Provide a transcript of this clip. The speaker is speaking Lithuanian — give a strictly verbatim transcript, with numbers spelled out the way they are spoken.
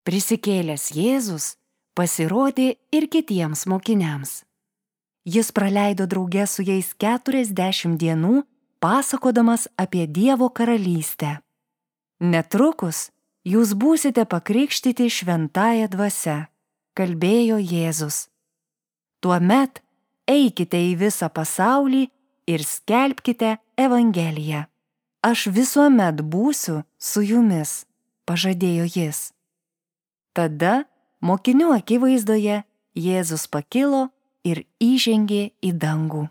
Prisikėlęs Jėzus pasirodė ir kitiems mokiniams. Jis praleido drauge su jais keturiasdešimt dienų, pasakodamas apie Dievo karalystę. Netrukus jūs būsite pakrikštyti šventąja dvasia, kalbėjo Jėzus. Tuomet eikite į visą pasaulį ir skelbkite Evangeliją. Aš visuomet būsiu su jumis, pažadėjo jis. Tada mokinių akivaizdoje Jėzus pakilo ir įžengė į dangų.